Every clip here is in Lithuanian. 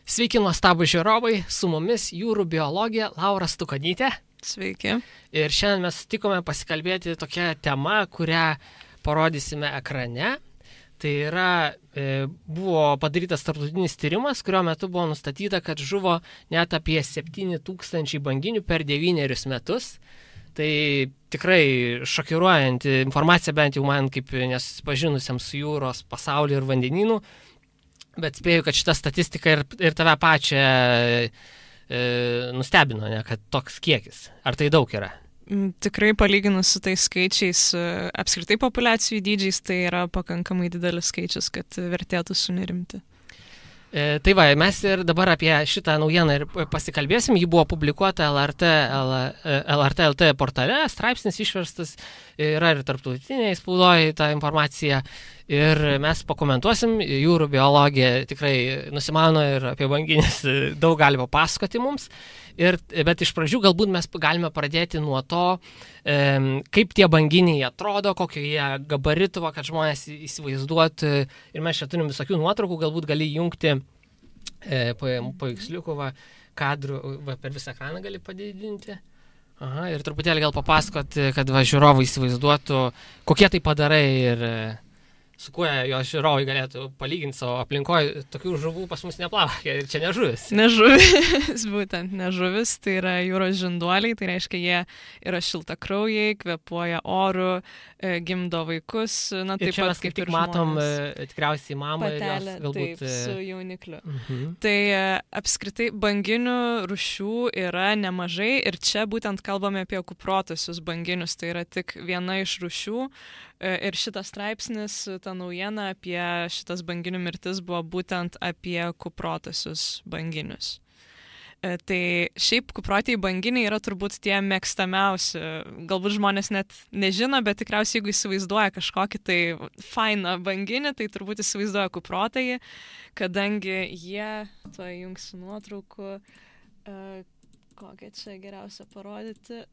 Sveiki, nuostabūs žiūrovai, su mumis jūrų biologė Laura Stukonytė. Sveiki. Ir šiandien mes sutikome pasikalbėti tokią temą, kurią parodysime ekrane. Tai yra, buvo padarytas tarptautinis tyrimas, kurio metu buvo nustatyta, kad žuvo net apie 7000 banginių per 9 metus. Tai tikrai šokiruojanti informacija, bent jau man kaip nesusipažinusiam su jūros pasauliu ir vandenynų. Bet spėju, kad šita statistika ir tave pačią nustebino, ne, kad toks kiekis. Ar tai daug yra? Tikrai palyginus su tais skaičiais, apskritai populiacijų dydžiais, tai yra pakankamai didelis skaičius, kad vertėtų sunerimti. Tai va, mes ir dabar apie šitą naujieną ir pasikalbėsim. Ji buvo publikuota LRT LT portale, straipsnis išverstas, yra ir tarptautiniai spaudoje ta informacija. Ir mes pakomentuosim, jūrų biologija tikrai nusimano ir apie banginis daug gali papasakoti mums. Bet iš pradžių galbūt mes galime pradėti nuo to, kaip tie banginiai atrodo, kokio jie gabarito, kad žmonės įsivaizduotų. Ir mes čia turim visokių nuotraukų, galbūt gali jungti paveiksliukų, kadrų, per visą ekraną gali padidinti. Aha, ir truputėlį gal papasakoti, kad žiūrovai įsivaizduotų, kokie tai padarai ir su kuo jo žiūrovai galėtų palyginti savo aplinkoje. Tokių žuvų pas mus neplaukia ir čia nežuvis. Nežuvis, būtent nežuvis, tai yra jūros žinduoliai, tai reiškia, jie yra šiltakraujai, kvėpuoja oru, gimdo vaikus. Na, taip pat kaip ir matom, tikriausiai mamą patelę, ir jos galbūt... Taip, su jaunikliu. Tai apskritai banginių rūšių yra nemažai ir čia būtent kalbame apie kuprotosius banginius, tai yra tik viena iš rūšių. Ir šitas straipsnis, ta naujiena apie šitas banginių mirtis buvo būtent apie kuprotosius banginius. Tai šiaip kuprotieji banginiai yra turbūt tie mėgstamiausi. Galbūt žmonės net nežino, bet tikriausiai jeigu įsivaizduoja kažkokį tai fainą banginį, tai turbūt įsivaizduoja kuprotąjį, kadangi jie, to jungsiu nuotraukų, kokią čia geriausia parodyti,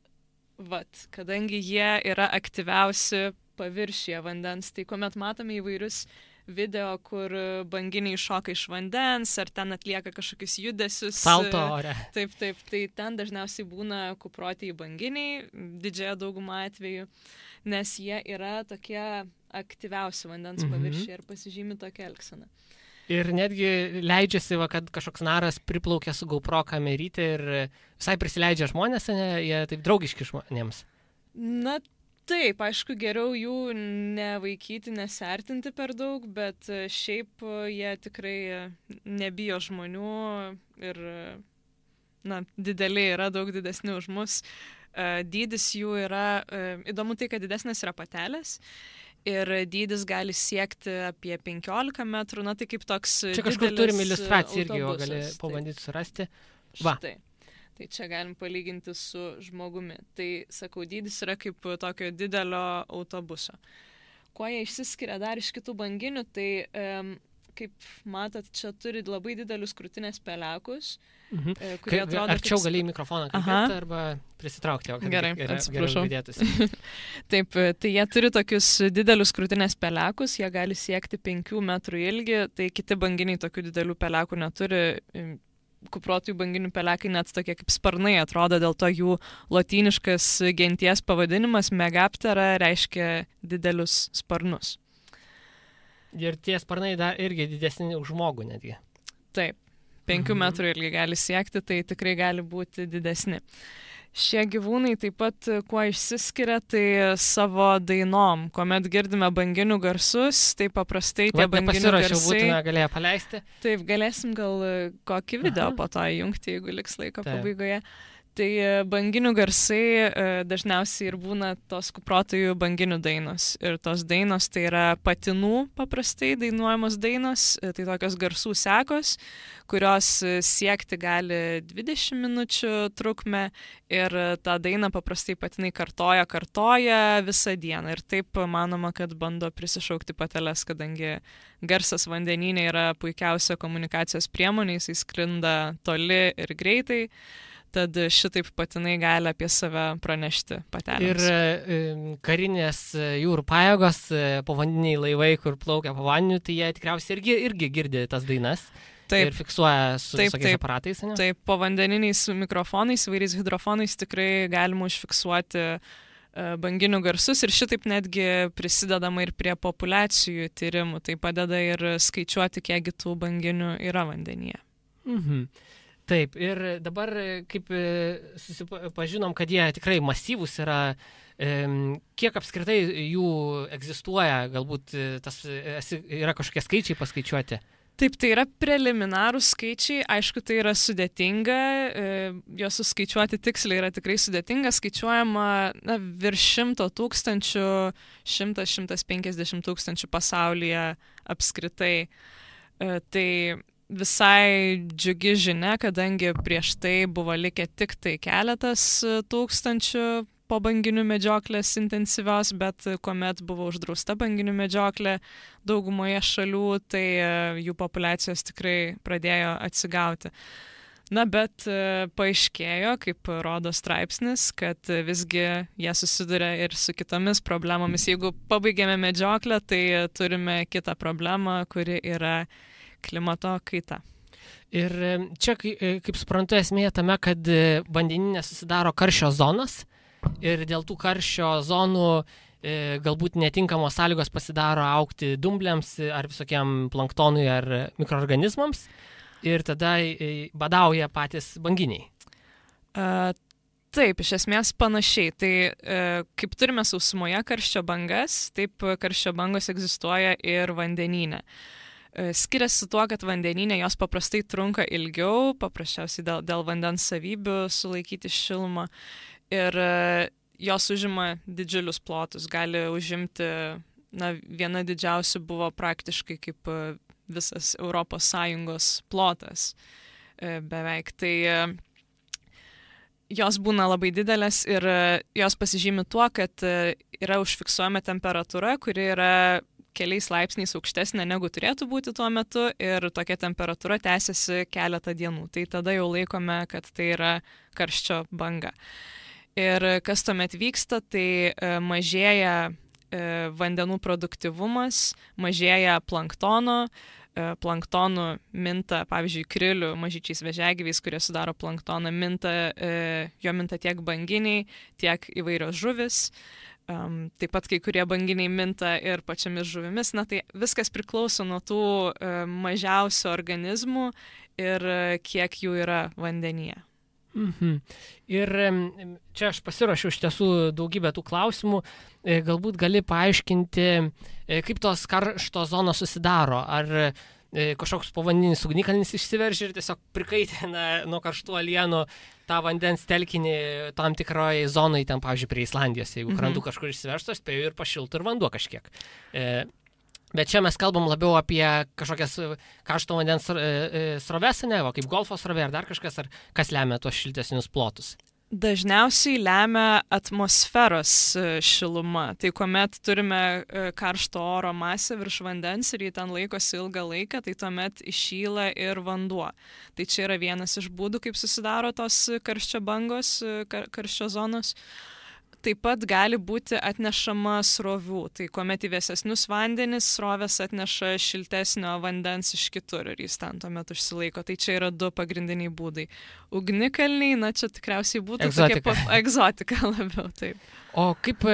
kadangi jie yra aktyviausi paviršiuje vandens, tai kuomet matome įvairius video, kur banginiai šoka iš vandens, ar ten atlieka kažkokius judesius. Salto ore. Taip, tai ten dažniausiai būna kuprotieji banginiai, didžiąją daugumą atvejų, nes jie yra tokie aktyviausi vandens paviršiuje ir pasižymi tokia elgsena. Ir netgi leidžiasi, kad kažkoks naras priplaukia su GoPro kamerytė ir visai prisileidžia žmonės, ne, jie taip draugiški žmonėms. Na, taip, aišku, geriau jų nevaikyti, nesertinti per daug, bet šiaip jie tikrai nebijo žmonių ir, dideliai yra, daug didesni už mus. Dydis jų yra, įdomu tai, kad didesnės yra patelės. Ir dydis gali siekti apie 15 metrų, tai kaip toks didelis autobusas. Čia kažkur turim iliustraciją irgi, jo gali pabandyti surasti. Štai. Tai čia galim palyginti su žmogumi. Tai, sakau, dydis yra kaip tokio didelio autobuso. Kuo jie išsiskiria dar iš kitų banginių, tai kaip matot, čia turi labai didelius krūtinės pelekus, kurie atrodo... Arčiau gali į mikrofoną kalbėti arba prisitraukti, kad gerai girdėtųsi. Taip, tai jie turi tokius didelius krūtinės pelekus, jie gali siekti 5 metrų ilgį, tai kiti banginiai tokių didelių pelekų neturi. Kuprotųjų banginių pelekai net tokie kaip sparnai atrodo, dėl to jų lotyniškas genties pavadinimas Megaptera reiškia didelius sparnus. Ir tie sparnai dar irgi didesni už žmogų netgi. Taip, 5 metrų ilgi gali siekti, tai tikrai gali būti didesni. Šie gyvūnai taip pat kuo išsiskiria, tai savo dainom. Kuomet girdime banginių garsus, tai paprastai tie banginių garsai... būtume galėję paleisti. Taip, galėsim gal kokį video po to įjungti, jeigu liks laiko pabaigoje. Tai banginių garsai dažniausiai ir būna tos kuprotųjų banginių dainos. Ir tos dainos tai yra patinų paprastai dainuojamos dainos, tai tokios garsų sekos, kurios siekti gali 20 minučių trukmę ir tą dainą paprastai patinai kartoja visą dieną. Ir taip manoma, kad bando prisišaukti pateles, kadangi garsas vandenyne yra puikiausia komunikacijos priemonė, jisai sklinda toli ir greitai. Tad šitaip patinai gali apie save pranešti patelėms. Ir karinės jūrų pajėgos, povandeniniai laivai, kur plaukia po vandeniu, tai jie tikriausiai irgi girdi tas dainas. ir fiksuoja su visokiais aparatais. Ne? Taip, povandeniniais mikrofonais, įvairiais hidrofonais tikrai galima užfiksuoti banginių garsus ir šitaip netgi prisidedama ir prie populiacijų tyrimų. Tai padeda ir skaičiuoti, kiekgi tų banginių yra vandenyje. Mhm. Taip, ir dabar kaip susipažinom, kad jie tikrai masyvūs yra, kiek apskritai jų egzistuoja, galbūt yra kažkokie skaičiai paskaičiuoti? Taip, tai yra preliminarūs skaičiai, aišku, tai yra sudėtinga, juos suskaičiuoti tiksliai yra tikrai sudėtinga, skaičiuojama virš 100 tūkstančių, 100–150 tūkstančių pasaulyje apskritai. Tai visai džiugi žinia, kadangi prieš tai buvo likę tik tai keletas tūkstančių po banginių medžioklės intensyvios, bet kuomet buvo uždrausta banginių medžioklė daugumoje šalių, tai jų populiacijos tikrai pradėjo atsigauti. Na, bet paaiškėjo, kaip rodo straipsnis, kad visgi jie susiduria ir su kitomis problemomis. Jeigu pabaigėme medžioklę, tai turime kitą problemą, kuri yra klimato kaita. Ir čia, kaip suprantu, esmė tame, kad vandenyne susidaro karščio zonas ir dėl tų karščio zonų galbūt netinkamos sąlygos pasidaro augti dumbliams ar visokiam planktonui ar mikroorganizmams ir tada badauja patys banginiai. Taip, iš esmės panašiai. Tai kaip turime sausumoje karščio bangas, taip karščio bangos egzistuoja ir vandenyne. Skiriasi tuo, kad vandenyne jos paprastai trunka ilgiau, paprasčiausiai dėl vandens savybių sulaikyti šilumą ir jos užima didžiulius plotus, gali užimti, viena didžiausių buvo praktiškai kaip visas ES plotas beveik. Tai jos būna labai didelės ir jos pasižymi tuo, kad yra užfiksuojama temperatūra, kuri yra keliais laipsniais aukštesnė negu turėtų būti tuo metu ir tokia temperatūra tęsiasi keletą dienų. Tai tada jau laikome, kad tai yra karščio banga. Ir kas tuomet vyksta, tai mažėja vandenų produktyvumas, mažėja planktono, planktonų minta, pavyzdžiui, krilių, mažyčiais vėžiagyviais, kurie sudaro planktoną, jo minta tiek banginiai, tiek įvairios žuvis. Taip pat kai kurie banginiai minta ir pačiamis žuvimis. Na tai viskas priklauso nuo tų mažiausių organizmų ir kiek jų yra vandenyje. Mhm. Ir čia aš pasiruošiau iš tiesų daugybę tų klausimų. Galbūt gali paaiškinti, kaip tos karšto zonos susidaro. Ar kažkoks povandeninis ugnikalnis išsiveržia ir tiesiog prikaitina nuo karštų alienų tą vandens telkinį tam tikroje zonoje, ten, pavyzdžiui, prie Islandijos, jeigu krantų kažkur išsiveržtų, spėjau ir pašiltų ir vanduo kažkiek. Bet čia mes kalbam labiau apie kažkokias karšto vandens sroves, ne, kaip golfo srovė ar dar kažkas, ar kas lemia tuos šiltesnius plotus? Dažniausiai lemia atmosferos šiluma. Tai kuomet turime karšto oro masę virš vandens ir jį ten laikosi ilgą laiką, tai tuomet iššyla ir vanduo. Tai čia yra vienas iš būdų, kaip susidaro tos karščio bangos, karščio zonos. Taip pat gali būti atnešama srovių. Tai kuomet į vėsesnius vandenis srovės atneša šiltesnio vandens iš kitur ir jis ten tuomet užsilaiko. Tai čia yra du pagrindiniai būdai. Ugnikalniai, čia tikriausiai būtų egzotika labiau. Taip. O kaip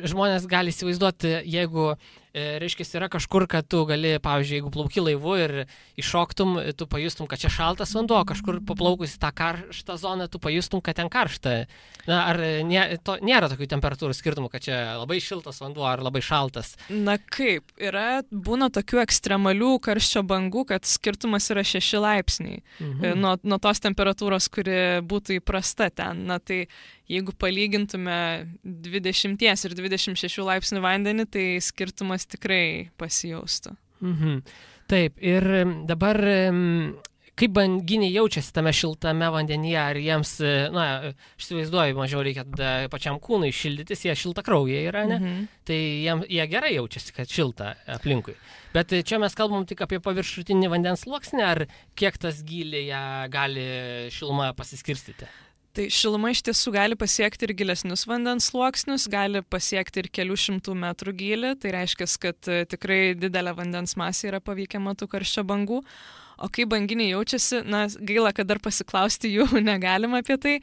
žmonės gali įsivaizduoti, jeigu reiškia, yra kažkur, kad tu gali, pavyzdžiui, jeigu plauki laivu ir iššoktum, tu pajustum, kad čia šaltas vanduo, kažkur paplaukus į tą karštą zoną, tu pajustum, kad ten karšta. Ar nėra tokių temperatūrų skirtumų, kad čia labai šiltas vanduo ar labai šaltas? Na kaip, būna tokių ekstremalių karščio bangų, kad skirtumas yra 6 laipsniai nuo tos temperatūros, kuri būtų įprasta ten. Na tai jeigu palygintume 20 ir 26 laipsnių vandenį, tai skirtumas tikrai pasijaustų. Taip, ir dabar kaip banginiai jaučiasi tame šiltame vandenyje, ar jiems, aš įsivaizduoju, mažiau reikia pačiam kūnui šildytis, jie šiltakraujai yra, ne? Tai jie gerai jaučiasi, kad šilta aplinkui. Bet čia mes kalbam tik apie paviršutinį vandens sluoksnį, ar kiek tas gylyje gali šiluma pasiskirstyti? Tai šiluma iš tiesų gali pasiekti ir gilesnius vandens sluoksnius, gali pasiekti ir kelių šimtų metrų gylį, tai reiškia, kad tikrai didelė vandens masė yra paveikiama tų karščio bangų. O kaip banginiai jaučiasi, na, gaila, kad dar pasiklausti jų negalima apie tai,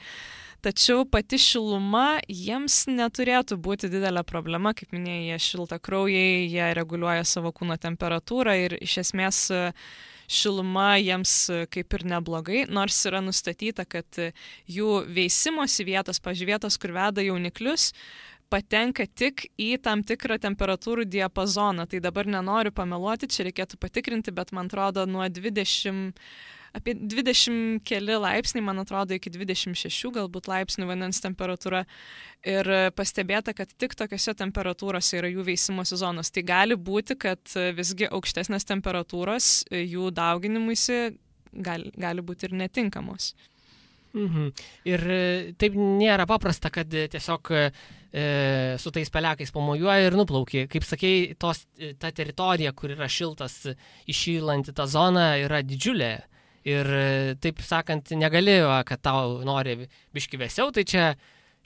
tačiau pati šiluma jiems neturėtų būti didelė problema, kaip minėjai, jie šiltakraujai, jie reguliuoja savo kūno temperatūrą ir iš esmės šiluma jiems kaip ir neblogai, nors yra nustatyta, kad jų veisimosi vietos, vietos, kur veda jauniklius, patenka tik į tam tikrą temperatūrų diapazoną. Tai dabar nenoriu pameluoti, čia reikėtų patikrinti, bet man atrodo apie 20 keli laipsniai, man atrodo iki 26 galbūt laipsnių vandens temperatūra. Ir pastebėta, kad tik tokiose temperatūrose yra jų veisimosi zonos. Tai gali būti, kad visgi aukštesnės temperatūros jų dauginimuisi gali būti ir netinkamos. Ir taip nėra paprasta, kad tiesiog su tais pelekais pamojuoja ir nuplaukia. Kaip sakei, ta teritorija, kur yra šiltas įšylanti ta zona, yra didžiulė. Ir taip sakant, negali, kad tau nori biški vėsiau, tai čia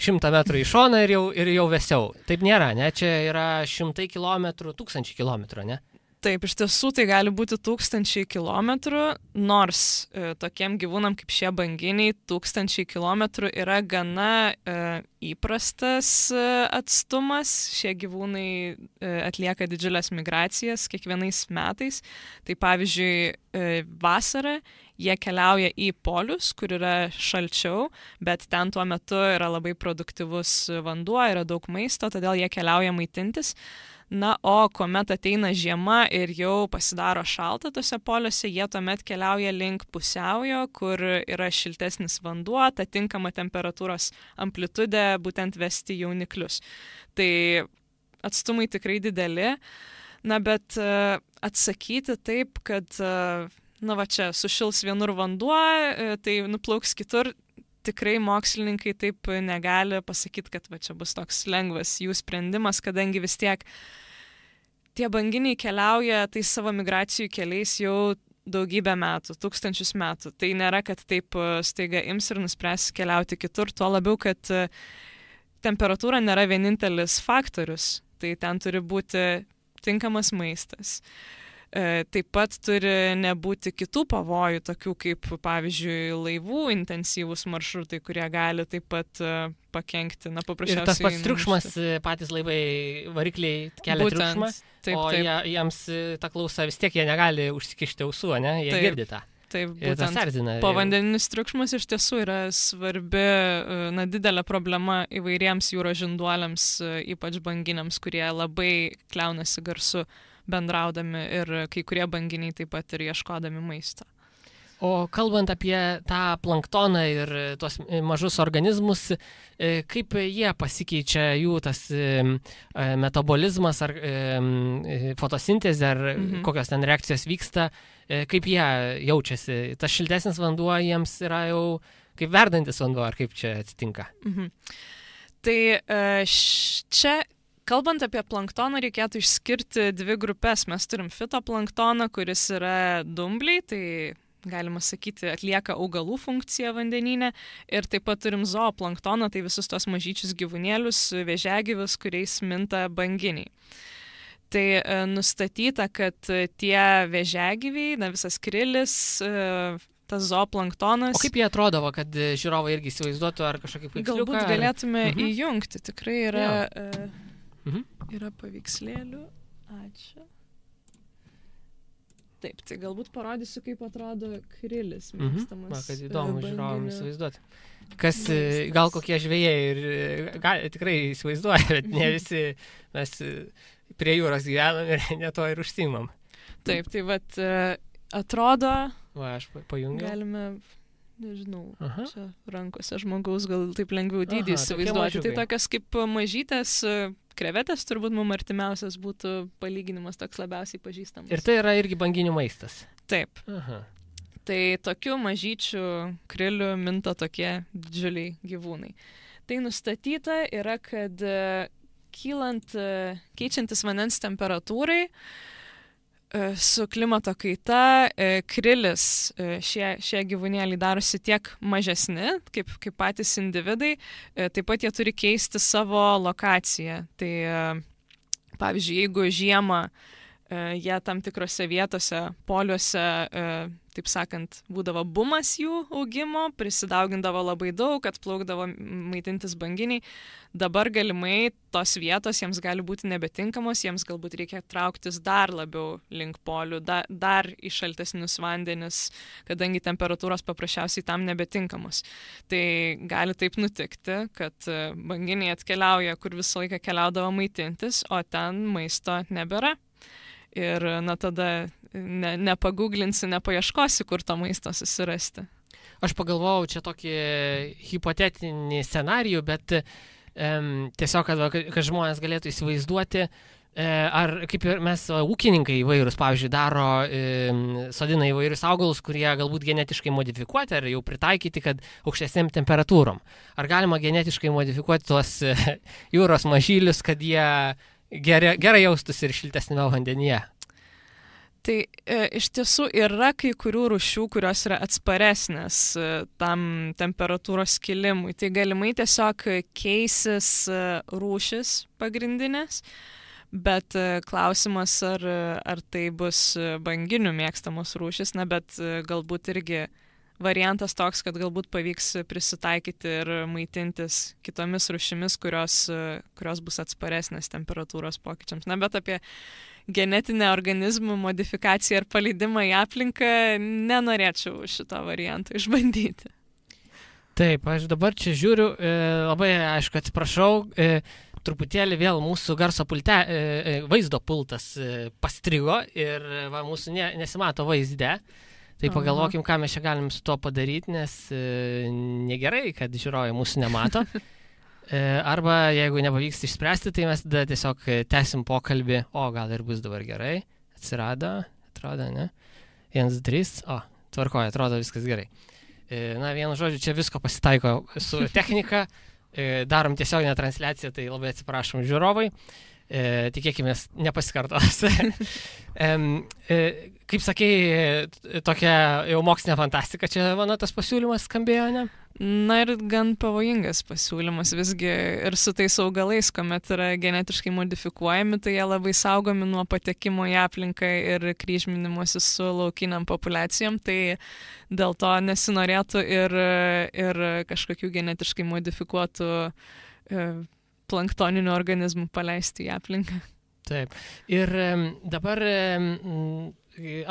100 metrų į šoną ir jau vėsiau. Taip nėra, ne? Čia yra 100 kilometrų, 1000 kilometrų, ne? Taip, iš tiesų tai gali būti 1000 kilometrų, nors tokiem gyvūnam kaip šie banginiai 1000 kilometrų yra gana įprastas atstumas. Šie gyvūnai atlieka didžiulės migracijas kiekvienais metais. Tai pavyzdžiui, vasarą jie keliauja į polius, kur yra šalčiau, bet ten tuo metu yra labai produktyvus vanduo, yra daug maisto, todėl jie keliauja maitintis. Na, o kuomet ateina žiema ir jau pasidaro šalta tose poliuose, jie tuomet keliauja link pusiaujo, kur yra šiltesnis vanduo, ta tinkama temperatūros amplitudė būtent vesti jauniklius. Tai atstumai tikrai dideli, na, bet atsakyti taip, kad, na va čia, sušils vienur vanduo, tai nuplauks kitur, tikrai mokslininkai taip negali pasakyti, kad va čia bus toks lengvas jų sprendimas, kadangi vis tiek tie banginiai keliauja tais savo migracijų keliais jau daugybę metų, 1000 metų. Tai nėra, kad taip staiga ims ir nuspręs keliauti kitur, tuo labiau, kad temperatūra nėra vienintelis faktorius, tai ten turi būti tinkamas maistas. Taip pat turi nebūti kitų pavojų, tokių kaip, pavyzdžiui, laivų intensyvūs maršrutai, kurie gali taip pat pakenkti, na, paprasčiausiai. Ir tas pats triukšmas, patys laivai, varikliai kelia triukšmą, o jiems ta klausa vis tiek jie negali užsikišti ausų, ne? Jie girdi tą. Taip, būtent povandeninis triukšmas iš tiesų yra svarbi, na, didelė problema įvairiems jūros žinduoliams, ypač banginiams, kurie labai kliaunasi garsu bendraudami ir kai kurie banginiai taip pat ir ieškodami maisto. O kalbant apie tą planktoną ir tuos mažus organizmus, kaip jie pasikeičia, jų tas metabolizmas ar fotosintezė, ar kokios ten reakcijos vyksta, kaip jie jaučiasi? Tas šiltesnis vanduo jiems yra jau kaip verdantis vanduo, ar kaip čia atsitinka? Tai čia kalbant apie planktoną, reikėtų išskirti dvi grupės. Mes turim fitoplanktoną, kuris yra dumbliai, tai galima sakyti, atlieka augalų funkciją vandenyne. Ir taip pat turim zooplanktoną, tai visus tos mažyčius gyvūnėlius, vėžiagyvius, kuriais minta banginiai. Tai nustatyta, kad tie vėžiagyviai, na, visas krilis, tas zooplanktonas. O kaip jie atrodavo, kad žiūrovai irgi įsivaizduotų, ar kažkokį paveiksliuką? Galbūt galėtume įjungti, tikrai yra... Yra paveikslėlių. Ačiū. Taip, tai galbūt parodysiu, kaip atrodo krilis mėgstamas. Man, kad įdomu žiūrovams įsivaizduoti. Kas, gal kokie žvejai ir tikrai įsivaizduoja, bet ne visi mes prie jūros gyvenam ir ne to ir užsiimam. Taip, tai vat atrodo... Va, aš pajungiau. Galime... Nežinau, čia rankose žmogaus gal taip lengviau dydį įsivaizduoti. Tai tokios kaip mažytės krevetės, turbūt mums artimiausias būtų palyginimas toks labiausiai pažįstamas. Ir tai yra irgi banginių maistas. Taip. Tai tokių mažyčių krilių minta tokie didžiuliai gyvūnai. Tai nustatyta yra, kad keičiantis vandens temperatūrai, Su klimato kaita krilis šie gyvūnėliai darosi tiek mažesni, kaip patys individai, taip pat jie turi keisti savo lokaciją. Tai pavyzdžiui, jeigu žiemą jie tam tikrose vietose, poliuose, taip sakant, būdavo bumas jų augimo, prisidaugindavo labai daug, atplaukdavo maitintis banginiai. Dabar galimai tos vietos jiems gali būti nebetinkamos, jiems galbūt reikia trauktis dar labiau link polių, dar į šaltesnius vandenis, kadangi temperatūros paprasčiausiai tam nebetinkamos. Tai gali taip nutikti, kad banginiai atkeliauja, kur visą laiką keliaudavo maitintis, o ten maisto nebėra. Ir tada nepaguglinsi, nepaieškosi, kur to maisto susirasti. Aš pagalvojau čia tokį hipotetinį scenarijų, bet tiesiog, kad žmonės galėtų įsivaizduoti, ar kaip ir mes ūkininkai įvairūs, pavyzdžiui, sodina įvairius augalus, kurie galbūt genetiškai modifikuoti ar jau pritaikyti, kad aukštesnėm temperatūrom. Ar galima genetiškai modifikuoti tuos jūros mažylius, kad jie gerai jaustųsi ir šiltesnėme vandenyje? Tai iš tiesų yra kai kurių rūšių, kurios yra atsparesnės tam temperatūros kilimui. Tai galimai tiesiog keisis rūšis pagrindinės, bet klausimas, ar tai bus banginių mėgstamos rūšis, bet galbūt irgi variantas toks, kad galbūt pavyks prisitaikyti ir maitintis kitomis rūšimis, kurios bus atsparesnės temperatūros pokyčiams. Bet apie genetinę organizmų modifikaciją ir paleidimą į aplinką nenorėčiau šito varianto išbandyti. Taip, aš dabar čia žiūriu, labai aišku, atsiprašau, truputėlį vėl mūsų garso vaizdo pultas pastrigo ir mūsų nesimato vaizde. Tai pagalvokim, ką mes čia galim su tuo padaryti, nes negerai, kad žiūrovai mūsų nemato. Arba jeigu nepavyks išspręsti, tai mes tada tiesiog tęsim pokalbį. O, gal ir bus dabar gerai. Atrodo, ne? 1, 3, tvarkoja, atrodo viskas gerai. Vienu žodžiu, čia visko pasitaiko su technika. Darom tiesioginę transliaciją, tai labai atsiprašom žiūrovai. Tikėkime, nepasikartos. Kaip sakei, tokia jau mokslinė fantastika, čia mano tas pasiūlymas skambėjo, ne? Ir gan pavojingas pasiūlymas visgi ir su tais augalais, kuomet yra genetiškai modifikuojami, tai jie labai saugomi nuo patekimo į aplinką ir kryžminimuose su laukiniam populiacijom, tai dėl to nesinorėtų ir kažkokių genetiškai modifikuotų planktoninių organizmų paleisti į aplinką. Taip. Ir dabar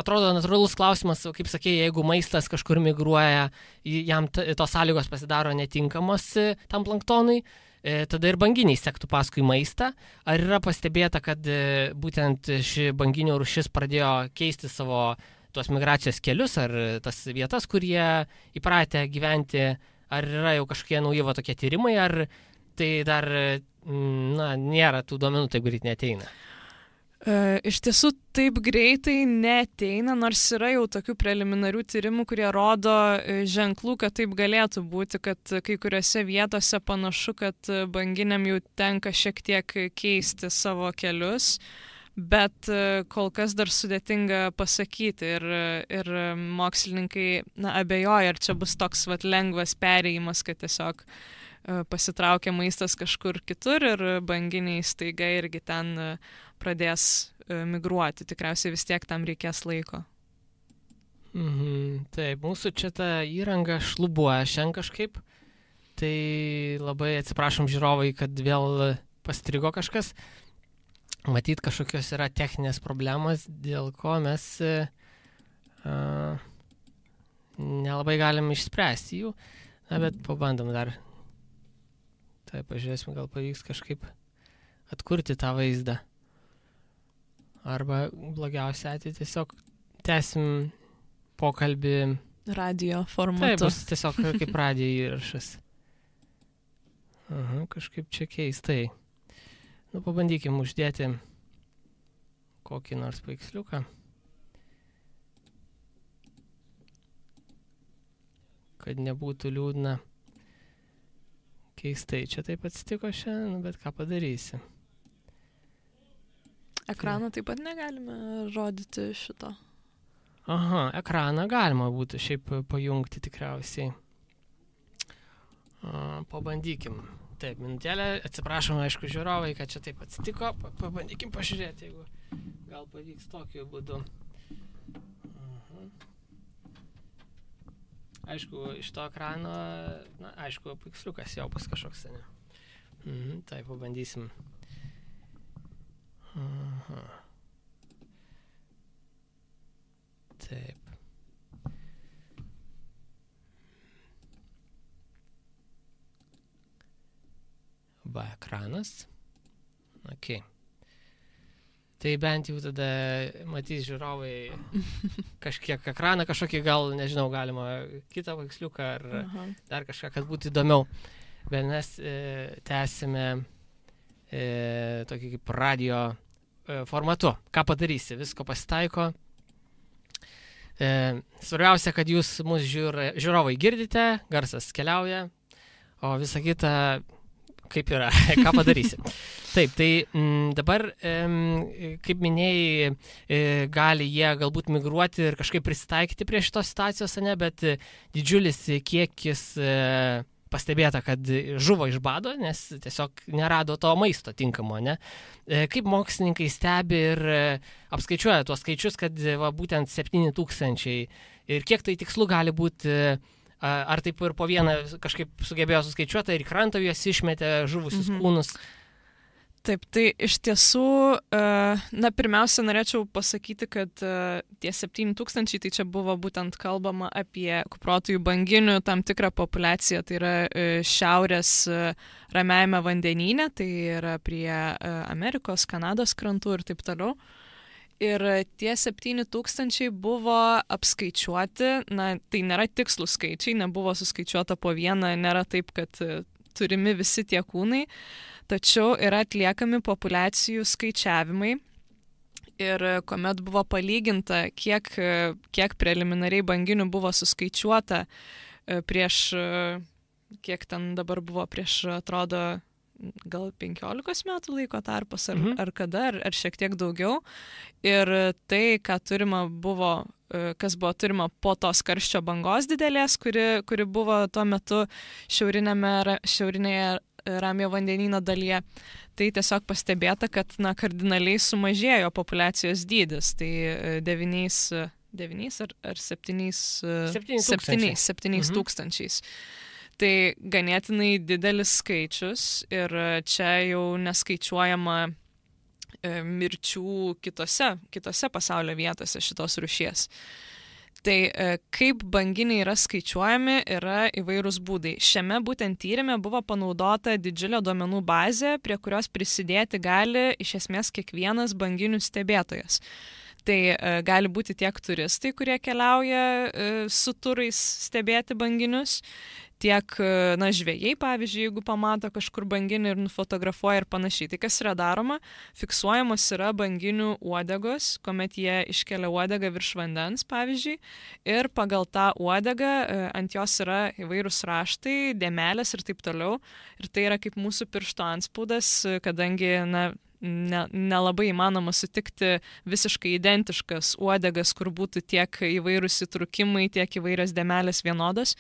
atrodo natūralus klausimas, kaip sakėjai, jeigu maistas kažkur migruoja, jam tos sąlygos pasidaro netinkamos tam planktonui, tada ir banginiai sektų paskui maistą. Ar yra pastebėta, kad būtent ši banginių rūšis pradėjo keisti savo tuos migracijos kelius ar tas vietas, kur jie įpratę gyventi, ar yra jau kažkokie nauji tokie tyrimai, ar tai dar nėra tų duomenų, taip greit neateina? Iš tiesų taip greitai neateina, nors yra jau tokių preliminarių tyrimų, kurie rodo ženklų, kad taip galėtų būti, kad kai kuriuose vietose panašu, kad banginiam jau tenka šiek tiek keisti savo kelius, bet kol kas dar sudėtinga pasakyti ir mokslininkai abejoja, ar čia bus toks lengvas perėjimas, kad tiesiog pasitraukia maistas kažkur kitur ir banginiai staiga irgi ten pradės migruoti. Tikriausiai vis tiek tam reikės laiko. Taip, mūsų čia ta įranga šlubuoja šiandien kažkaip. Tai labai atsiprašom žiūrovai, kad vėl pastrigo kažkas. Matyt, kažkokios yra techninės problemos, dėl ko mes nelabai galim išspręsti jų. Bet pabandom dar. Tai pažiūrėsim, gal pavyks kažkaip atkurti tą vaizdą. Arba blogiausia atveju tiesiog tęsim pokalbį radio formatu. Taip, bus tiesiog kaip radio įrašas. Kažkaip čia keistai. Pabandykim uždėti kokį nors paveiksliuką. Kad nebūtų liūdna. Keistai čia taip atsitiko šiandien, bet ką padarysi. Ekraną taip pat negalime rodyti šito. Aha, ekraną galima būtų šiaip pajungti tikriausiai. Pabandykim. Taip, minutėlę, atsiprašom, aišku, žiūrovai, kad čia taip atsitiko. Pabandykim pažiūrėti, jeigu gal pavyks tokiu būdu. Aišku, iš to ekrano, na, aišku, paveiksliukas jau bus kažkoks, ne? Taip, pabandysim. Aha. Taip. Va, ekranas. Ok. Tai bent jau tada matys žiūrovai kažkiek ekraną, kažkokį gal, nežinau, galima kitą paveiksliuką ar dar kažką, kad būtų įdomiau. Bet mes tęsime tokį kaip radio formatu. Ką padarysi? Visko pasitaiko. Svarbiausia, kad jūs mūsų žiūrovai girdite, garsas keliauja, o visa kita kaip yra, ką padarysi. Taip, tai dabar, kaip minėjai, gali jie galbūt migruoti ir kažkaip prisitaikyti prie šitos situacijos, ne, bet didžiulis kiekis pastebėta, kad žuvo iš bado, nes tiesiog nerado to maisto tinkamo, ne. Kaip mokslininkai stebi ir apskaičiuoja tuos skaičius, kad va, būtent 7,000 ir kiek tai tikslu gali būti. Ar taip ir po vieną kažkaip sugebėjo suskaičiuoti ir į krantą juos išmetė žuvusius kūnus? Taip, tai iš tiesų, na, pirmiausia, norėčiau pasakyti, kad tie 7,000, tai čia buvo būtent kalbama apie kuprotųjų banginių tam tikrą populiaciją, tai yra šiaurės Ramiajame vandenyne, tai yra prie Amerikos, Kanados krantų ir taip toliau. Ir tie 7,000 buvo apskaičiuoti, na, tai nėra tikslų skaičiai, nebuvo suskaičiuota po vieną, nėra taip, kad turimi visi tie kūnai, tačiau yra atliekami populiacijų skaičiavimai. Ir kuomet buvo palyginta, kiek preliminariai banginių buvo suskaičiuota prieš, kiek ten dabar buvo prieš, atrodo, gal 15 metų laiko tarpas, ar kada, ar šiek tiek daugiau. Ir tai, kas buvo turima po tos karščio bangos didelės, kuri buvo tuo metu šiaurinėje Ramiojo vandenyno dalyje, tai tiesiog pastebėta, kad na, kardinaliai sumažėjo populiacijos dydis. Tai 9 ar 7 tūkstančiais. Tai ganėtinai didelis skaičius ir čia jau neskaičiuojama mirčių kitose pasaulio vietose šitos rūšies. Tai kaip banginiai yra skaičiuojami, yra įvairūs būdai. Šiame būtent tyrime buvo panaudota didžiulė duomenų bazė, prie kurios prisidėti gali iš esmės kiekvienas banginių stebėtojas. Tai gali būti tiek turistai, kurie keliauja su turais stebėti banginius, tiek, na, žvejai, pavyzdžiui, jeigu pamato kažkur banginį ir nufotografuoja ir panašiai. Tai kas yra daroma? Fiksuojamos yra banginių uodegos, kuomet jie iškelia uodegą virš vandens, pavyzdžiui, ir pagal tą uodegą ant jos yra įvairūs raštai, dėmelės ir taip toliau. Ir tai yra kaip mūsų piršto antspaudas, kadangi, na, nelabai įmanoma sutikti visiškai identiškas uodegas, kur būtų tiek įvairūs įtrūkimai, tiek įvairios dėmelės vienodos.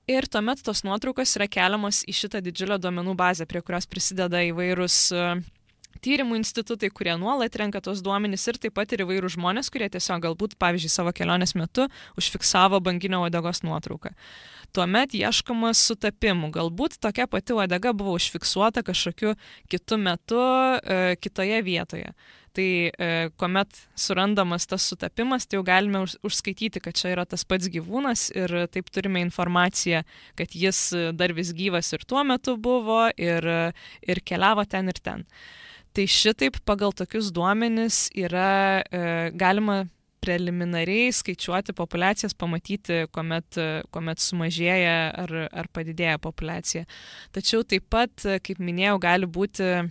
Ir tuomet tos nuotraukos yra keliamos į šitą didžiulę duomenų bazę, prie kurios prisideda įvairūs tyrimų institutai, kurie nuolat renka tos duomenys ir taip pat ir įvairūs žmonės, kurie tiesiog galbūt, pavyzdžiui, savo kelionės metu užfiksavo banginio uodegos nuotrauką. Tuomet ieškoma sutapimų. Galbūt tokia pati uodega buvo užfiksuota kažkokiu kitu metu kitoje vietoje. Tai kuomet surandamas tas sutapimas, tai jau galime užskaityti, kad čia yra tas pats gyvūnas ir taip turime informaciją, kad jis dar vis gyvas ir tuo metu buvo ir keliavo ten ir ten. Tai šitaip pagal tokius duomenis yra galima preliminariai skaičiuoti populiacijas, pamatyti, kuomet sumažėja ar padidėja populiacija. Tačiau taip pat, kaip minėjau, gali būti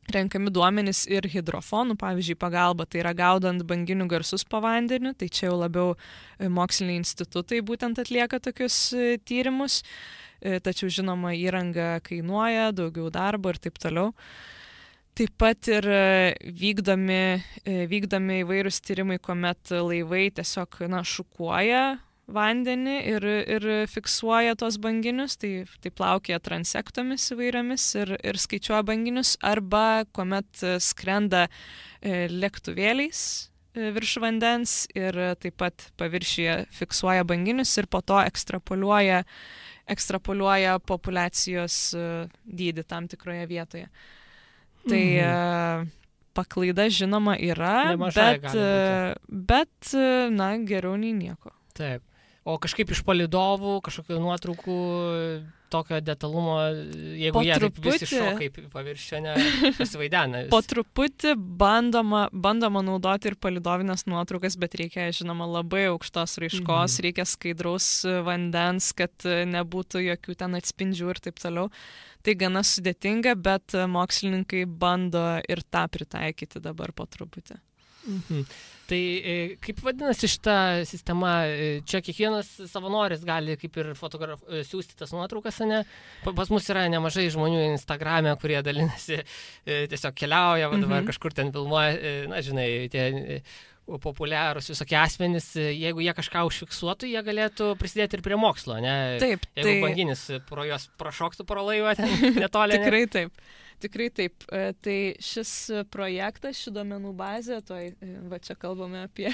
renkami duomenys ir hidrofonų, pavyzdžiui, pagalba, tai yra gaudant banginių garsus po vandeniu, tai čia jau labiau moksliniai institutai būtent atlieka tokius tyrimus, tačiau žinoma įranga kainuoja, daugiau darbo ir taip toliau. Taip pat ir vykdomi įvairūs tyrimai, kuomet laivai tiesiog šukuoja vandenį ir fiksuoja tos banginius, tai plaukioja transektomis įvairiomis ir skaičiuoja banginius, arba kuomet skrenda lėktuvėliais virš vandens ir taip pat paviršiuje fiksuoja banginius ir po to ekstrapoliuoja populiacijos dydį tam tikroje vietoje. Tai paklaida žinoma yra, bet geriau nei nieko. Taip. O kažkaip iš palydovų, kažkokių nuotraukų, tokio detalumo, jeigu jie taip visi šoka į paviršių, pasivaidena. Po truputį bandoma naudoti ir palydovinės nuotraukas, bet reikia, žinoma, labai aukštos raiškos, reikia skaidraus vandens, kad nebūtų jokių ten atspindžių ir taip toliau. Tai gana sudėtinga, bet mokslininkai bando ir tą pritaikyti dabar po truputį. Tai kaip vadinasi šita sistema? Čia kiekvienas savanoris gali kaip ir siųsti tas nuotraukas, ne? Pas mus yra nemažai žmonių Instagrame, kurie dalinasi, tiesiog keliauja, dabar kažkur ten filmuoja, tie populiarūs visokie asmenys, jeigu jie kažką užfiksuotų, jie galėtų prisidėti ir prie mokslo, ne? Taip. Jeigu banginis pro juos prašoktų pro laivą ten netoli. Tikrai taip. Tai šis projektas, ši duomenų bazė, čia kalbame apie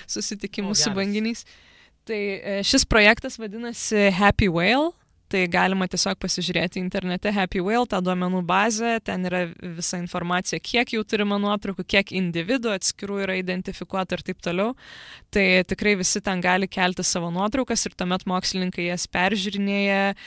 susitikimus su banginiais. Tai šis projektas vadinasi Happy Whale. Tai galima tiesiog pasižiūrėti internete Happy Whale, tą duomenų bazę, ten yra visa informacija, kiek jau turima nuotraukų, kiek individų atskirų yra identifikuota ir taip toliau. Tai tikrai visi ten gali kelti savo nuotraukas ir tuomet mokslininkai jas peržiūrinėja.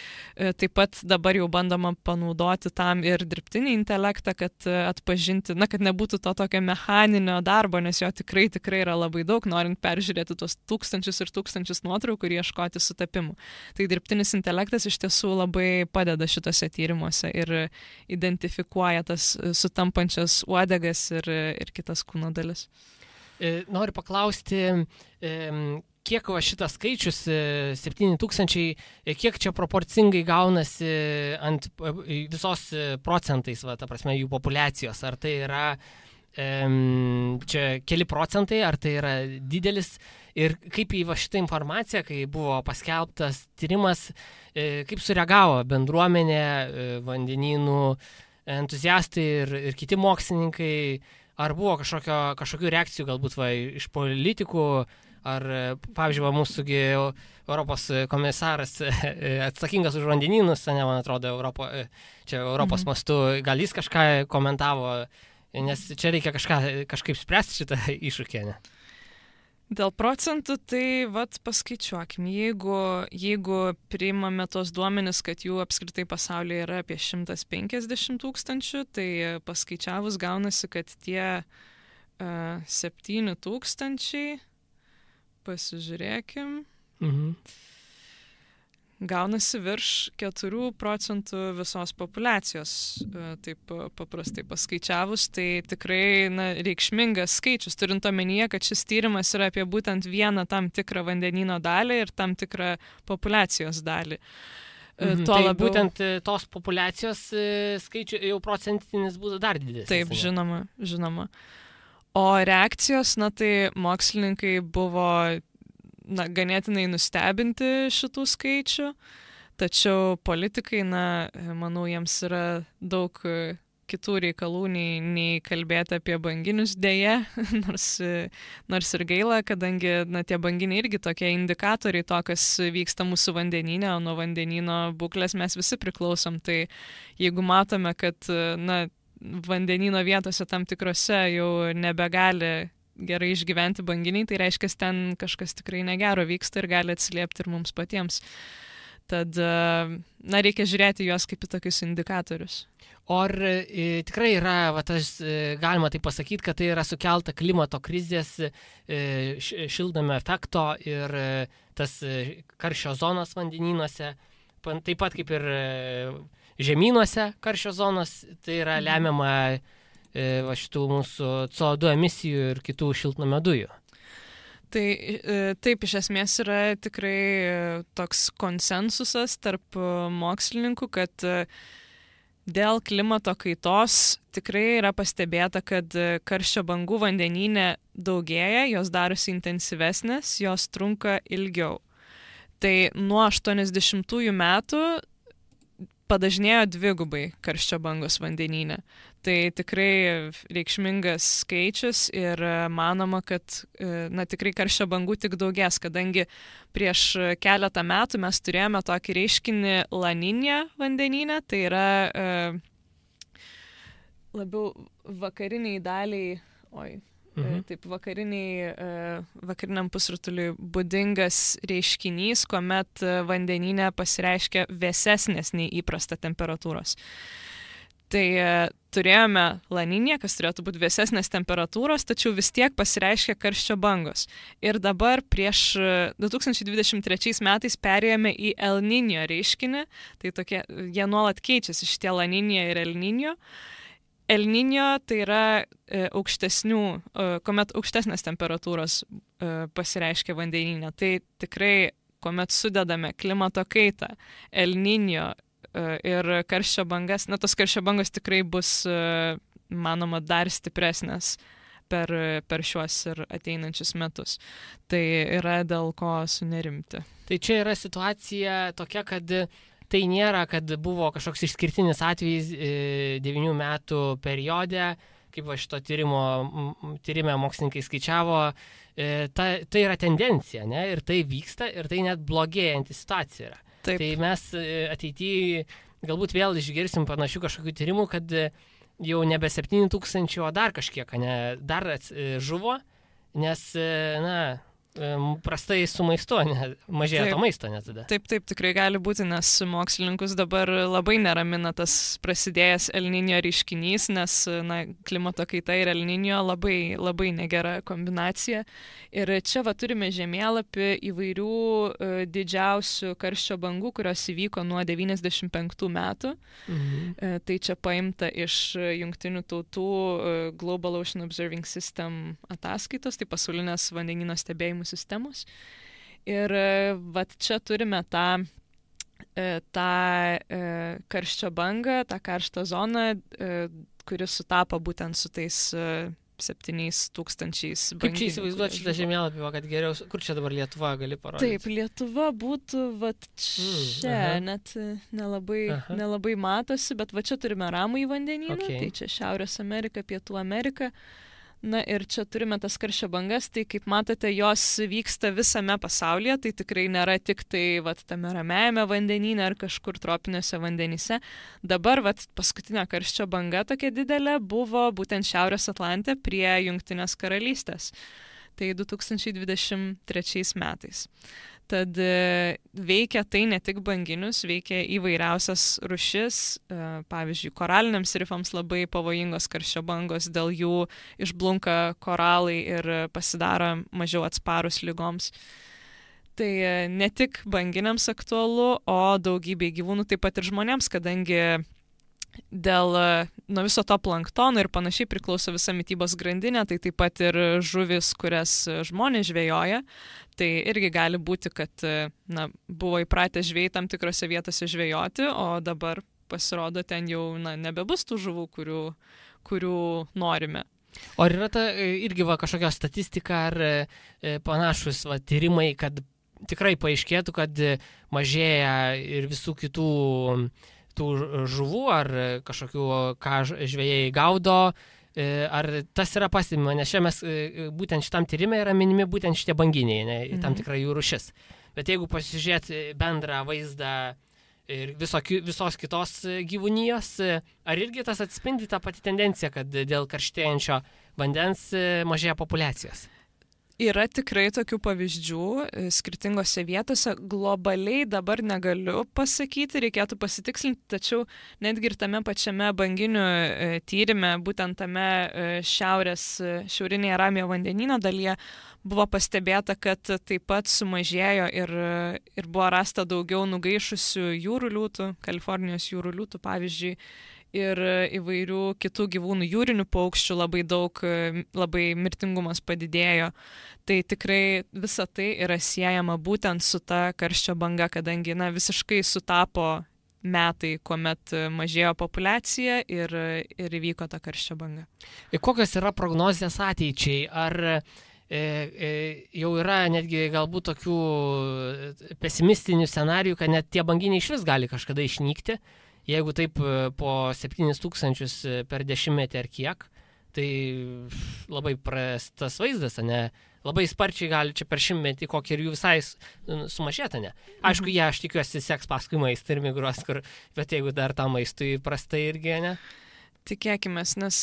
Taip pat dabar jau bandoma panaudoti tam ir dirbtinį intelektą, kad atpažinti, kad nebūtų to tokio mechaninio darbo, nes jo tikrai yra labai daug, norint peržiūrėti tuos tūkstančius ir tūkstančius nuotraukų ir ieškoti sutapimų. Tai dirbtinis intelektas iš tiesų labai padeda šitose tyrimuose ir identifikuoja tas sutampančias uodegas ir kitas kūno dalis. Noriu paklausti, kiek šitas skaičius, 7000, kiek čia proporcingai gaunasi ant visos procentais, ta prasme, jų populiacijos? Ar tai yra čia keli procentai, ar tai yra didelis? Ir kaip į šitą informaciją, kai buvo paskelbtas tyrimas, kaip sureagavo bendruomenė, vandenynų entuziastai ir kiti mokslininkai, ar buvo kažkokių reakcijų galbūt iš politikų, ar, pavyzdžiui, mūsųgi Europos komisaras atsakingas už vandenynus, man atrodo, Europos mastu, gal jis kažką komentavo, nes čia reikia kažkaip spręsti šitą iššūkį, ne? Dėl procentų, tai paskaičiuokim, jeigu priimame tos duomenis, kad jų apskritai pasaulyje yra apie 150 000, tai paskaičiavus gaunasi, kad tie 7 000, pasižiūrėkim, gaunasi virš 4% visos populiacijos, taip paprastai paskaičiavus, tai tikrai reikšmingas skaičius, turint omenyje, kad šis tyrimas yra apie būtent vieną tam tikrą vandenyno dalį ir tam tikrą populiacijos dalį. Tai labiau... būtent tos populiacijos skaičių jau procentinis būtų dar didesnis. Taip, žinoma. O reakcijos, tai mokslininkai buvo ganėtinai nustebinti šitų skaičių, tačiau politikai, manau, jiems yra daug kitų reikalų nei kalbėti apie banginius dėje, nors ir gaila, kadangi tie banginiai irgi tokie indikatoriai to, kas vyksta mūsų vandenyne, o nuo vandenyno būklės mes visi priklausom. Tai jeigu matome, kad vandenyno vietose tam tikrose jau nebegali gerai išgyventi banginiai, tai reiškia, ten kažkas tikrai negero vyksta ir gali atsiliepti ir mums patiems. Tad, reikia žiūrėti juos kaip į tokius indikatorius. O ar tikrai yra, galima tai pasakyti, kad tai yra sukelta klimato krizės, šiltnamio efekto ir tas karščio zonos vandenynuose, taip pat kaip ir žemynuose karščio zonos, tai yra lemiama šitų mūsų CO2 emisijų ir kitų šiltnamio dujų. Tai taip, iš esmės yra tikrai toks konsensusas tarp mokslininkų, kad dėl klimato kaitos tikrai yra pastebėta, kad karščio bangų vandenyne daugėja, jos darosi intensyvesnės, jos trunka ilgiau. Tai nuo 80-ųjų metų padažnėjo 2 karščio bangos vandenyne. Tai tikrai reikšmingas skaičius ir manoma, kad tikrai karščio bangų tik daugės, kadangi prieš keletą metų mes turėjome tokį reiškinį La Niña vandenyne, tai yra labiau vakariniai daliai, taip vakariniam pusrutuliui būdingas reiškinys, kuomet vandenyne pasireiškia vėsesnės nei įprasta temperatūros. Tai turėjome La Niña, kas turėtų būti vėsesnės temperatūros, tačiau vis tiek pasireiškia karščio bangos. Ir dabar prieš 2023 metais perėjome į El Niño reiškinį, tai jie nuolat keičiasi šitie La Niña ir El Niño. El Niño tai yra kuomet aukštesnės temperatūros pasireiškia vandenyne. Tai tikrai, kuomet sudedame klimato kaitą, El Niño ir karščio bangas, tos karščio bangos tikrai bus, manoma, dar stipresnės per šiuos ir ateinančius metus. Tai yra dėl ko sunerimti. Tai čia yra situacija tokia, kad tai nėra, kad buvo kažkoks išskirtinis atvejis 9 metų periode, kaip šito tyrime mokslininkai skaičiavo, tai yra tendencija, ne? Ir tai vyksta, ir tai net blogėjanti situacija yra. Taip. Tai mes ateityje galbūt vėl išgirsim panašių kažkokių tyrimų, kad jau nebe 7000, o dar kažkiek, dar žuvo, nes, prastai su maistu, mažėja to maisto net tada. Taip, tikrai gali būti, nes mokslininkus dabar labai neramina tas prasidėjęs El Niño reiškinys, nes klimato kaita ir El Niño labai, labai negera kombinacija. Ir čia turime žemėlapį įvairių didžiausių karščio bangų, kurios įvyko nuo 95 metų. Tai čia paimta iš Jungtinių tautų Global Ocean Observing System ataskaitos, tai pasaulinės vandenyno stebėjimų sistemos. Ir čia turime tą karščio bangą, tą karštą zoną, kuris sutapo būtent su tais 7000 banginių. Kaip čia įsivaizduoti šitą žemėlapį, kad geriau, kur čia dabar Lietuva gali parodyti? Taip, Lietuva būtų čia, net nelabai matosi, bet čia turime Ramųjį vandenyną, tai čia Šiaurės Amerika, Pietų Amerika. Ir čia turime tas karščio bangas, tai kaip matote, jos vyksta visame pasaulyje, tai tikrai nėra tik tai tame Ramiajame vandenyne ar kažkur tropiniuose vandenyse. Dabar paskutinė karščio banga tokia didelė buvo būtent Šiaurės Atlante prie Jungtinės karalystės. Tai 2023 metais. Tad veikia tai ne tik banginius, veikia įvairiausias rūšis, pavyzdžiui, koraliniams rifams labai pavojingos karščio bangos, dėl jų išblunka koralai ir pasidaro mažiau atsparus ligoms. Tai ne tik banginiams aktualu, o daugybei gyvūnų, taip pat ir žmonėms, kadangi dėl nuo viso to planktono ir panašiai priklauso visa mitybos grandinė, tai taip pat ir žuvis, kurias žmonės žvejoja. Tai irgi gali būti, kad buvo įpratę žvejai tam tikrose vietose žvejoti, o dabar pasirodo ten jau nebebus tų žuvų, kurių norime. O ar yra irgi kažkokia statistika ar panašus tyrimai, kad tikrai paaiškėtų, kad mažėja ir visų kitų tų žuvų ar kažkokių, ką žvejai gaudo, ar tas yra pastebima, nes čia mes būtent šitam tyrime yra minimi būtent šitie banginiai, tam tikra jų rūšis. Bet jeigu pasižiūrėti bendrą vaizdą ir visos kitos gyvūnijos, ar irgi tas atspindi tą patį tendenciją, kad dėl karštėjančio vandens mažėja populiacijos? Yra tikrai tokių pavyzdžių skirtingose vietose. Globaliai dabar negaliu pasakyti, reikėtų pasitikslinti, tačiau netgi ir tame pačiame banginių tyrime, būtent tame šiaurinėje Ramiojo vandenyno dalyje, buvo pastebėta, kad taip pat sumažėjo ir buvo rasta daugiau nugaišusių jūrų liūtų, Kalifornijos jūrų liūtų pavyzdžiui, ir įvairių kitų gyvūnų, jūrinių paukščių labai daug, labai mirtingumas padidėjo. Tai tikrai visa tai yra siejama būtent su ta karščio banga, kadangi visiškai sutapo metai, kuomet mažėjo populiacija ir įvyko ta karščio banga. Kokios yra prognozės ateičiai? Ar jau yra netgi galbūt tokių pesimistinių scenarijų, kad net tie banginiai iš vis gali kažkada išnykti, jeigu taip po 7000 per dešimtmetį ar kiek, tai labai prastas vaizdas, ne? Labai sparčiai gali čia per šimtmetį kokį ir jų visai sumažėta, ne? Aišku, aš tikiuosi seks paskui maistą ir migruos, bet jeigu dar tą maistui prastai irgi, ne? Tikėkime, nes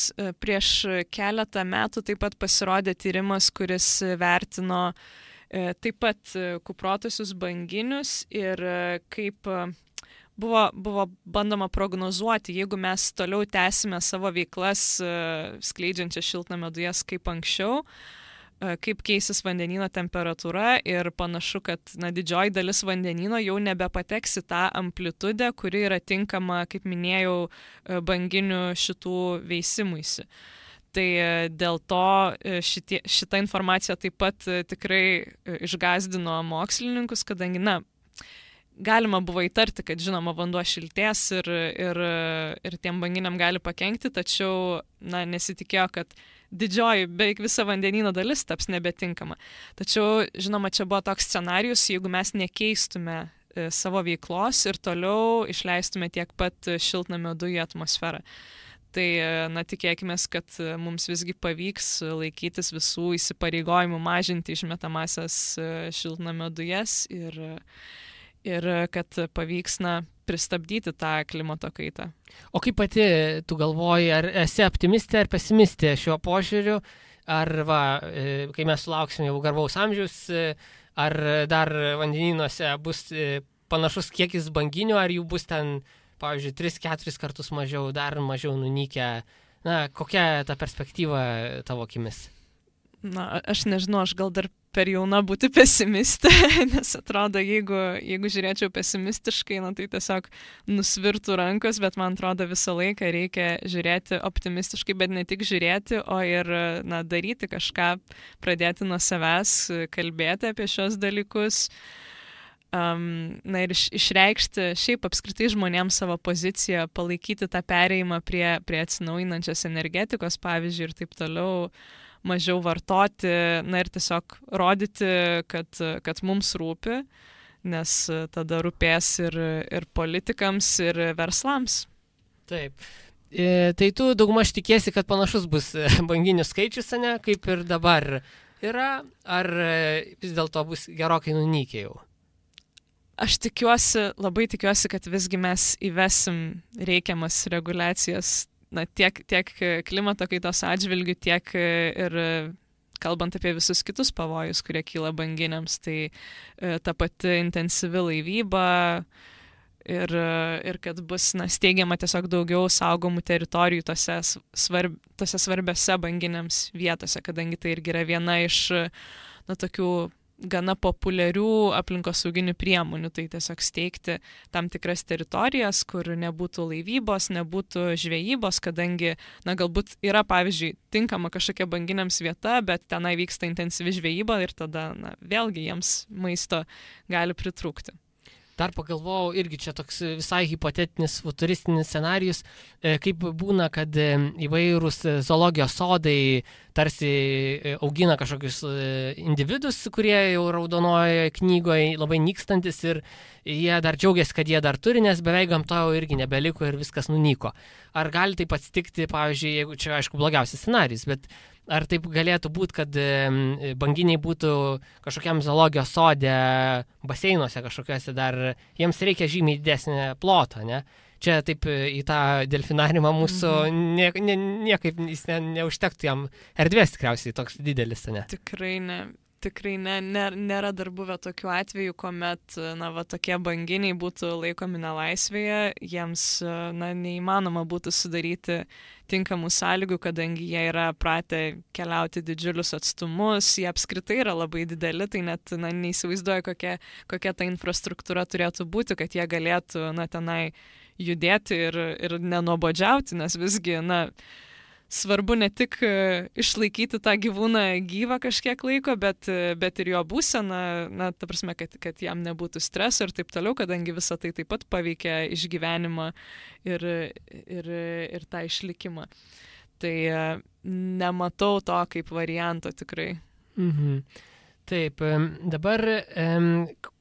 prieš keletą metų taip pat pasirodė tyrimas, kuris vertino taip pat kuprotusius banginius ir kaip buvo bandoma prognozuoti, jeigu mes toliau tęsime savo veiklas skleidžiančias šiltnamio dujas kaip anksčiau, kaip keisis vandenyno temperatūra ir panašu, kad didžioji dalis vandenyno jau nebepateks į tą amplitudę, kuri yra tinkama, kaip minėjau, banginių šitų veisimuisi. Tai dėl to šita informacija taip pat tikrai išgąsdino mokslininkus, kadangi, galima buvo įtarti, kad žinoma vanduo šiltės ir tiem banginiam gali pakenkti, tačiau nesitikėjo, kad didžioji, beveik visa vandenyno dalis taps nebetinkama. Tačiau, žinoma, čia buvo toks scenarijus, jeigu mes nekeistume savo veiklos ir toliau išleistume tiek pat šiltnamio dujų atmosferą. Tai, tikėkime, kad mums visgi pavyks laikytis visų įsipareigojimų mažinti išmetamasias šiltnamio dujas ir kad pavyks, pristabdyti tą klimato kaitą. O kaip pati tu galvoji, ar esi optimistė ar pesimistė šiuo požiūriu, ar kai mes sulauksime jau garbaus amžiaus, ar dar vandenynuose bus panašus kiekis banginių, ar jų bus ten, pavyzdžiui, 3-4 kartus mažiau, dar mažiau nunykę. Kokia ta perspektyva tavo akimis? Aš nežinau, aš gal dar per jauna būti pesimistė, nes atrodo, jeigu žiūrėčiau pesimistiškai, tai tiesiog nusvirtų rankos, bet man atrodo visą laiką reikia žiūrėti optimistiškai, bet ne tik žiūrėti, o ir daryti kažką, pradėti nuo savęs, kalbėti apie šios dalykus. Ir išreikšti šiaip apskritai žmonėms savo poziciją, palaikyti tą perėjimą prie atsinaujinančios energetikos, pavyzdžiui, ir taip toliau, mažiau vartoti, ir tiesiog rodyti, kad mums rūpi, nes tada rūpės ir politikams, ir verslams. Taip. Tai tu daugmaž tikėsi, kad panašus bus banginių skaičius, ne, kaip ir dabar yra, ar vis dėlto bus gerokai nunykę jau? Aš labai tikiuosi, kad visgi mes įvesim reikiamas reguliacijas tiek klimato kaitos atžvilgių, tiek ir kalbant apie visus kitus pavojus, kurie kyla banginiams, tai ta pati intensyvi laivyba ir kad bus steigiama tiesiog daugiau saugomų teritorijų tose svarbiose banginiams vietose, kadangi tai irgi yra viena iš tokių gana populiarių aplinkosauginių priemonių, tai tiesiog steigti tam tikras teritorijas, kur nebūtų laivybos, nebūtų žvejybos, kadangi, galbūt yra, pavyzdžiui, tinkama kažkokia banginiams vieta, bet tenai vyksta intensyvi žvejyba ir tada, vėlgi jiems maisto gali pritrūkti. Dar pagalvojau, irgi čia toks visai hipotetinis, futuristinis scenarijus, kaip būna, kad įvairūs zoologijos sodai tarsi augina kažkokius individus, kurie jau raudonojoje knygoje labai nykstantis ir jie dar džiaugiasi, kad jie dar turi, nes beveik gamtoje irgi nebeliko ir viskas nunyko. Ar gali taip atsitikti, pavyzdžiui, jeigu čia aišku blogiausias scenarijus, bet ar taip galėtų būti, kad banginiai būtų kažkokiam zoologijos sode, baseinuose kažkokiuose dar, jiems reikia žymiai didesnį plotą, ne? Čia taip į tą delfinariumą mūsų niekaip neužtektų jam erdvės tikriausiai toks didelis, ne? Tikrai nėra dar buvę tokių atvejų, kuomet tokie banginiai būtų laikomi nelaisvėje, jiems neįmanoma būtų sudaryti tinkamų sąlygų, kadangi jie yra pratę keliauti didžiulius atstumus, jie apskritai yra labai dideli, tai net neįsivaizduoju, kokia ta infrastruktūra turėtų būti, kad jie galėtų tenai judėti ir nenuobodžiauti, nes visgi, svarbu ne tik išlaikyti tą gyvūną gyvą kažkiek laiko, bet ir jo būseną, na, ta prasme, kad jam nebūtų streso ir taip toliau, kadangi visa tai taip pat paveikia išgyvenimą ir tą išlikimą. Tai nematau to kaip varianto tikrai. Mhm. Taip, dabar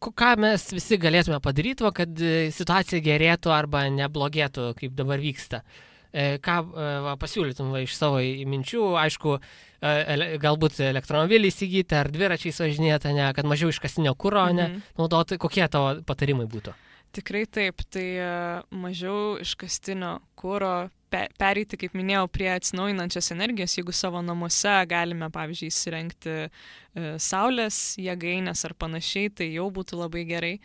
ką mes visi galėtume padaryti, kad situacija gerėtų arba neblogėtų, kaip dabar vyksta? Ką pasiūlytum iš savo minčių, aišku, galbūt elektromobilį įsigyti ar dviračiais važinėti, kad mažiau iškastinio kuro naudoti, kokie tavo patarimai būtų? Tikrai taip, tai mažiau iškastinio kuro, pereiti, kaip minėjau, prie atsinaujinančios energijos, jeigu savo namuose galime, pavyzdžiui, įsirengti saulės jėgainės ar panašiai, tai jau būtų labai gerai.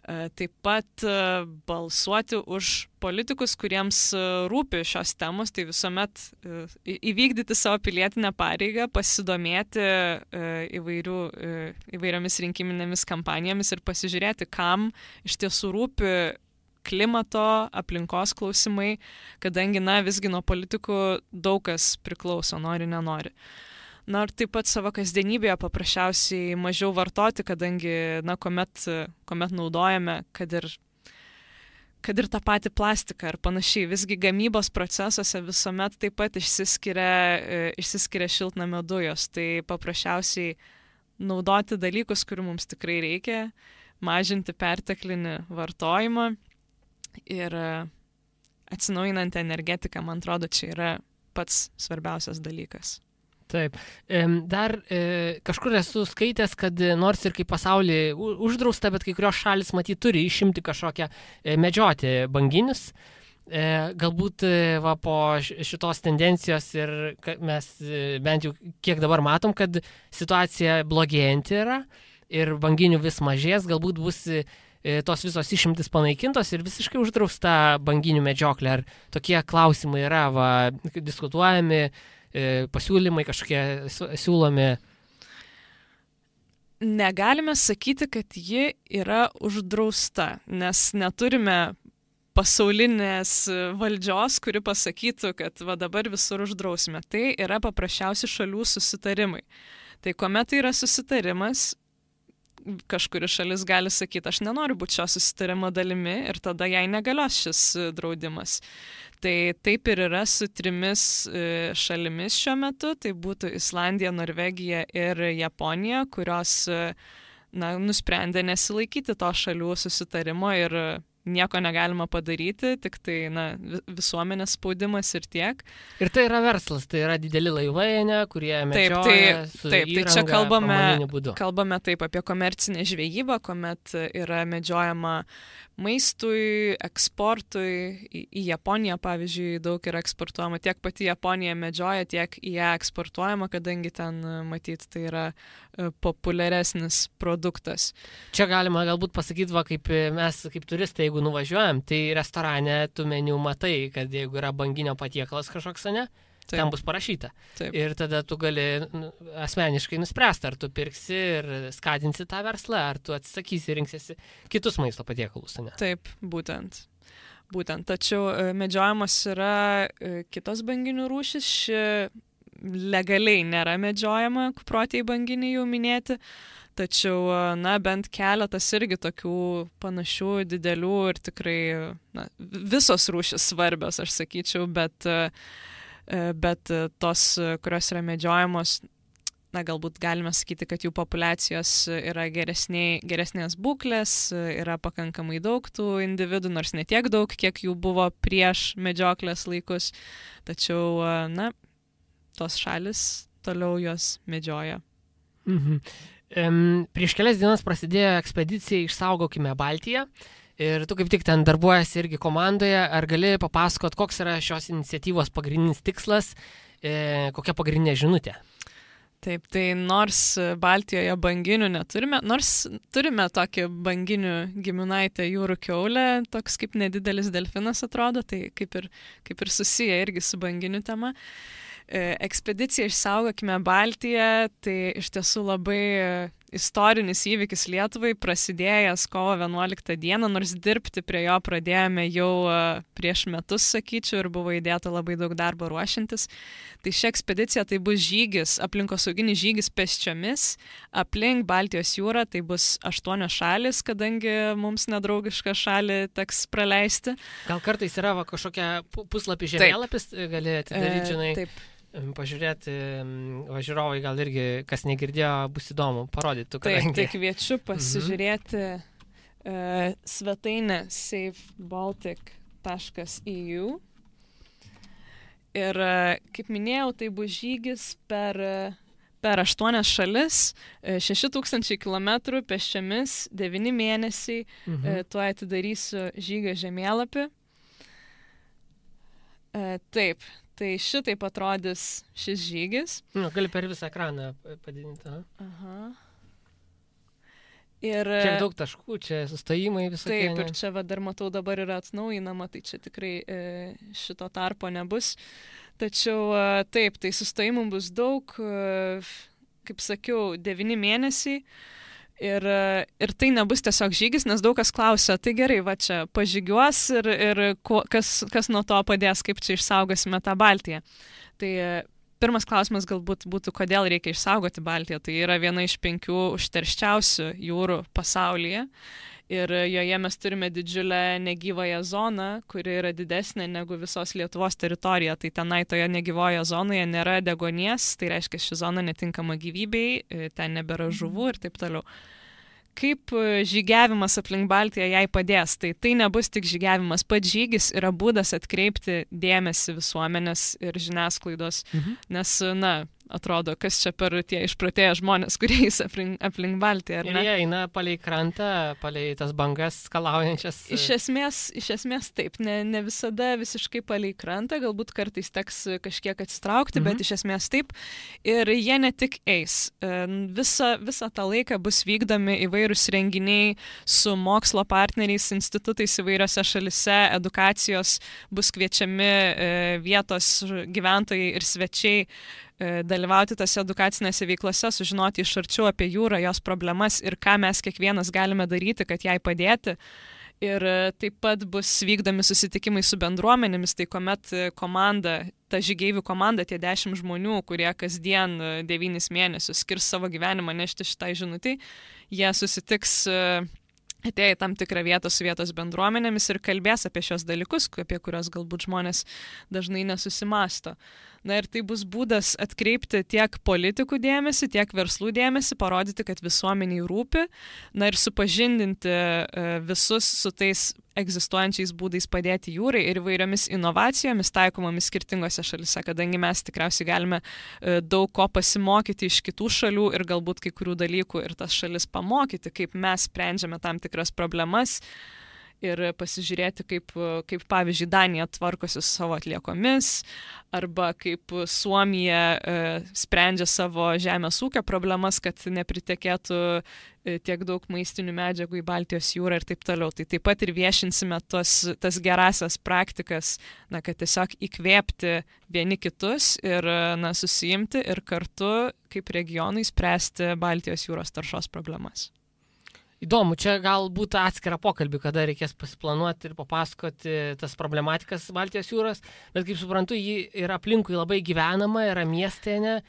Taip pat balsuoti už politikus, kuriems rūpi šios temos, tai visuomet įvykdyti savo pilietinę pareigą, pasidomėti įvairiomis rinkiminėmis kampanijomis ir pasižiūrėti, kam iš tiesų rūpi klimato, aplinkos klausimai, kadangi, na, visgi nuo politikų daug kas priklauso, nori, nenori. Na, ir taip pat savo kasdienybėje paprasčiausiai mažiau vartoti, kadangi, na, kuomet naudojame, kad ir tą patį plastiką ar panašiai, visgi gamybos procesuose visuomet taip pat išsiskiria šiltnamio dujos, tai paprasčiausiai naudoti dalykus, kurių mums tikrai reikia, mažinti perteklinį vartojimą ir atsinaujinanti energetika, man atrodo, čia yra pats svarbiausias dalykas. Taip. Dar kažkur esu skaitęs, kad nors ir kaip pasaulyje uždrausta, bet kai kurios šalis matyt turi išimti kažkokią medžioti banginius. Galbūt po šitos tendencijos ir mes bent jau kiek dabar matom, kad situacija blogėjanti yra ir banginių vis mažės, galbūt bus tos visos išimtis panaikintos ir visiškai uždrausta banginių medžioklė. Ar tokie klausimai yra diskutuojami, pasiūlymai kažkokie siūlomi? Negalime sakyti, kad ji yra uždrausta, nes neturime pasaulinės valdžios, kuri pasakytų, kad dabar visur uždrausime. Tai yra paprasčiausi šalių susitarimai. Tai kuomet tai yra susitarimas, kažkuri šalis gali sakyti, aš nenoriu būti šio susitarimo dalimi ir tada jai negalios šis draudimas. Tai taip ir yra su 3 šalimis šiuo metu, tai būtų Islandija, Norvegija ir Japonija, kurios nusprendė nesilaikyti to šalių susitarimo ir nieko negalima padaryti, tik tai visuomenės spaudimas ir tiek. Ir tai yra verslas, tai yra dideli laivai, kurie medžioja su įranga, pramoniniu būdu. Kalbame taip apie komercinę žvejybą, kuomet yra medžiojama maistui, eksportui. Į Japoniją, pavyzdžiui, daug yra eksportuojama. Tiek pati Japonija medžioja, tiek į ją eksportuojama, kadangi ten, matyt, tai yra populiaresnis produktas. Čia galima galbūt pasakyti, kaip mes, kaip turistai, jeigu nuvažiuojam, tai restorane tu meniu matai, kad jeigu yra banginio patiekalas kažkoks, ten bus parašyta. Taip. Ir tada tu gali asmeniškai nuspręsti, ar tu pirksi ir skatinsi tą verslą, ar tu atsisakysi ir rinksiesi kitus maisto patiekalus. Taip, būtent. Tačiau medžiojamos yra kitos banginių rūšys. Ši legaliai nėra medžiojama, kuprotieji banginiai jau minėti. Tačiau, bent keletas irgi tokių panašių, didelių ir tikrai visos rūšys svarbios, aš sakyčiau, bet tos, kurios yra medžiojamos, galbūt galime sakyti, kad jų populiacijos yra geresnės būklės, yra pakankamai daug tų individų, nors ne tiek daug, kiek jų buvo prieš medžioklės laikus, tačiau, tos šalis toliau jos medžioja. Prieš kelias dienas prasidėjo ekspedicija Išsaugokime Baltiją. Ir tu kaip tik ten darbuojasi irgi komandoje, ar gali papasakot, koks yra šios iniciatyvos pagrindinis tikslas, kokia pagrindinė žinutė? Taip, tai nors Baltijoje banginių neturime, nors turime tokį banginių giminaitę jūrų kiaulę, toks kaip nedidelis delfinas atrodo, tai kaip ir susiję irgi su banginių tema. Ekspedicija Išsaugokime Baltiją, tai iš tiesų labai istorinis įvykis Lietuvai, prasidėjęs kovo 11 dieną, nors dirbti prie jo pradėjome jau prieš metus, sakyčiau, ir buvo įdėta labai daug darbo ruošiantis. Tai ši ekspedicija tai bus žygis, aplinkosauginis žygis pėsčiomis, aplink Baltijos jūrą, tai bus 8 šalis, kadangi mums nedraugišką šalį teks praleisti. Gal kartais yra kažkokia puslapį žemėlapis, gali atidaryti, žinai. Taip. Pažiūrėti, žiūrovai gal irgi, kas negirdėjo, bus įdomu parodyti. Taip, tai kviečiu pasižiūrėti svetainę safebaltic.eu. Ir, kaip minėjau, tai bus žygis per 8 šalis, 6000 km pėsčiomis, 9 mėnesiai. Tuo atidarysiu žygio žemėlapį. Taip. Tai šitaip atrodys šis žygis. Gali per visą ekraną padidinti. Aha. Ir čia daug taškų, čia sustojimai visokie. Taip, ir čia dar matau dabar yra atnaujinama, tai čia tikrai šito tarpo nebus. Tačiau taip, tai sustojimų bus daug, kaip sakiau, 9 mėnesiai. Ir tai nebus tiesiog žygis, nes daug kas klausia, tai gerai, va čia pažygiuos ir kas nuo to padės, kaip čia išsaugosime tą Baltiją. Tai pirmas klausimas galbūt būtų, kodėl reikia išsaugoti Baltiją. Tai yra viena iš 5 užterščiausių jūrų pasaulyje. Ir joje mes turime didžiulę negyvąją zoną, kuri yra didesnė negu visos Lietuvos teritorija. Tai tenai toje negyvoje zonoje nėra deguonies, tai reiškia, ši zona netinkama gyvybei, ten nebėra žuvų ir taip toliau. Kaip žygiavimas aplink Baltiją jai padės? Tai nebus tik žygiavimas, pats žygis yra būdas atkreipti dėmesį visuomenės ir žiniasklaidos, nes, atrodo, kas čia per tie išprotėję žmonės, kurie eis aplink Baltiją, ar ne? Ir jie eina palei krantą, palei tas bangas skalaujančias. Iš esmės taip, ne visada visiškai palei krantą, galbūt kartais teks kažkiek atsitraukti, bet iš esmės taip. Ir jie ne tik eis. Visą tą laiką bus vykdomi įvairūs renginiai su mokslo partneriais, institutais įvairiose šalise, edukacijos, bus kviečiami vietos gyventojai ir svečiai dalyvauti tose edukacinėse veiklose, sužinoti iš arčiau apie jūrą, jos problemas ir ką mes kiekvienas galime daryti, kad jai padėti. Ir taip pat bus vykdomi susitikimai su bendruomenėmis, tai kuomet ta žygeivių komanda, tie 10 žmonių, kurie kasdien 9 mėnesius skirs savo gyvenimą nešti šitai žinutei, jie susitiks atėję į tam tikrą vietą su vietos bendruomenėmis ir kalbės apie šios dalykus, apie kurios galbūt žmonės dažnai nesusimąsto. Ir tai bus būdas atkreipti tiek politikų dėmesį, tiek verslų dėmesį, parodyti, kad visuomeniai rūpi, ir supažindinti visus su tais egzistuojančiais būdais padėti jūrai ir įvairiomis inovacijomis taikomomis skirtingose šalise, kadangi mes tikriausiai galime daug ko pasimokyti iš kitų šalių ir galbūt kai kurių dalykų ir tas šalis pamokyti, kaip mes sprendžiame tam tikras problemas ir pasižiūrėti, kaip pavyzdžiui, Danija tvarkosi su savo atliekomis, arba kaip Suomija sprendžia savo žemės ūkio problemas, kad nepritekėtų tiek daug maistinių medžiagų į Baltijos jūrą ir taip toliau. Tai taip pat ir viešinsime tas gerasias praktikas, kad tiesiog įkvėpti vieni kitus ir susijimti ir kartu kaip regionai spręsti Baltijos jūros taršos problemas. Įdomu, čia galbūt atskirą pokalbį, kada reikės pasiplanuoti ir papasakoti tas problematikas Baltijos jūros, bet kaip suprantu, ji yra aplinkui labai gyvenama, yra miestėne,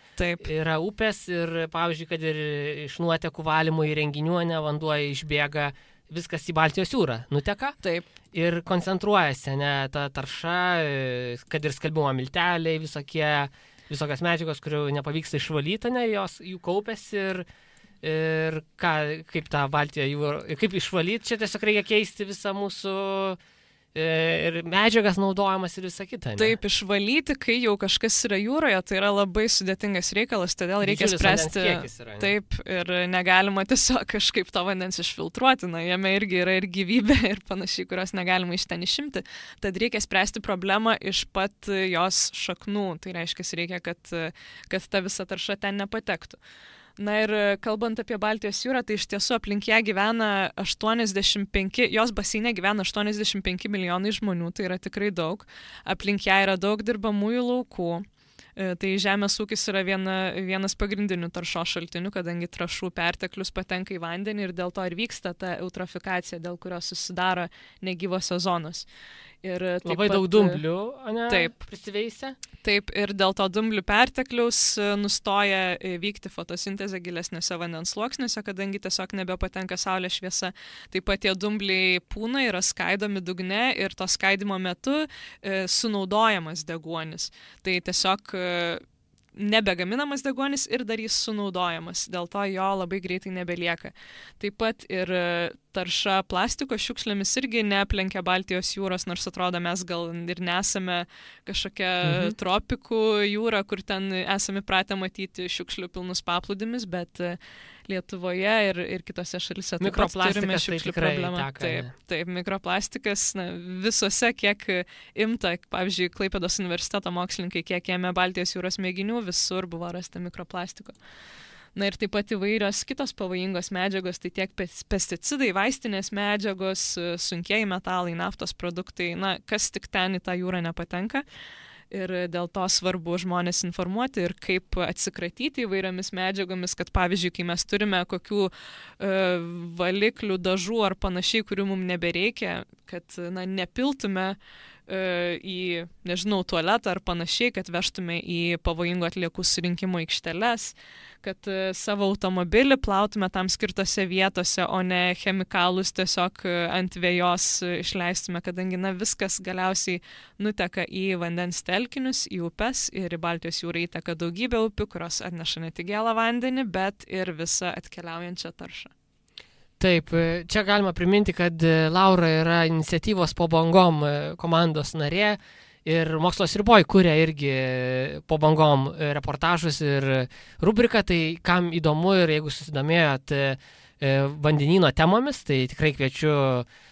yra upės ir, pavyzdžiui, kad ir iš nuotekų valymo įrenginių vanduo išbėga, viskas į Baltijos jūrą nuteka. Taip. Ir koncentruojasi, ta tarša, kad ir skalbimo milteliai, visokios medžiagos, kurių nepavyksta išvalyti, jų kaupiasi ir kaip tą Baltiją jūrą, kaip išvalyti, čia tiesiog reikia keisti visą mūsų ir medžiagas naudojamas ir visą kitą. Ne? Taip, išvalyti, kai jau kažkas yra jūroje, tai yra labai sudėtingas reikalas, todėl reikia spręsti. Yra, taip, ir negalima tiesiog kažkaip to vandens išfiltruoti, jame irgi yra ir gyvybė ir panašiai, kurios negalima iš ten išimti. Tad reikia spręsti problemą iš pat jos šaknų, tai reiškia, reikia, kad ta visa tarša ten nepatektų. Ir kalbant apie Baltijos jūrą, tai iš tiesų aplink ją gyvena jos baseine gyvena 85 milijonai žmonių, tai yra tikrai daug. Aplink ją yra daug dirbamųjų laukų, Tai žemės ūkis yra vienas pagrindinių taršos šaltinių, kadangi trąšų perteklius patenka į vandenį ir dėl to ir vyksta ta eutrofikacija, dėl kurios susidaro negyvosios zonos. Ir labai daug dumblių, ne? Taip. Prisiveisia. Taip, ir dėl to dumblių pertekliaus nustoja vykti fotosintezė gilesniuose vandens sluoksniuose, kadangi tiesiog nebepatenka saulės šviesa. Taip pat tie dumbliai pūna yra skaidomi dugne ir to skaidimo metu sunaudojamas deguonis. Tai tiesiog nebegaminamas deguonis ir dar jis sunaudojamas, dėl to jo labai greitai nebelieka. Taip pat ir tarša plastiko šiukšlėmis irgi neaplenkia Baltijos jūros, nors atrodo mes gal ir nesame kažkokia tropikų jūra, kur ten esame pratę matyti šiukšlių pilnus paplūdimis, bet Lietuvoje ir kitose šalyse taip pat turime šiukšlių problemą. Taip, mikroplastikas visose, kiek imta, pavyzdžiui, Klaipėdos universiteto mokslininkai, kiek ėmė Baltijos jūros mėginių, visur buvo rasta mikroplastiko. Na ir taip pat įvairios kitos pavojingos medžiagos, tai tiek pesticidai, vaistinės medžiagos, sunkieji metalai, naftos produktai, kas tik ten į tą jūrą nepatenka. Ir dėl to svarbu žmonės informuoti ir kaip atsikratyti įvairiomis medžiagomis, kad pavyzdžiui, kai mes turime kokių valiklių, dažų ar panašiai, kurių mums nebereikia, kad nepiltume į, nežinau, tualetą ar panašiai, kad vežtume į pavojingų atliekų surinkimo aikšteles, kad savo automobilį plautume tam skirtose vietose, o ne chemikalus tiesiog ant vejos išleistume, kadangi viskas galiausiai nuteka į vandens telkinius, į upes ir į Baltijos jūrą įteka daugybė upių, kurios atneša ne tik gėlą vandenį, bet ir visą atkeliaujančią taršą. Taip, čia galima priminti, kad Laura yra iniciatyvos Po bangom komandos narė ir Mokslas riboj kuria irgi Po bangom reportažus ir rubriką, tai kam įdomu ir jeigu susidomėjot vandenyno temomis, tai tikrai kviečiu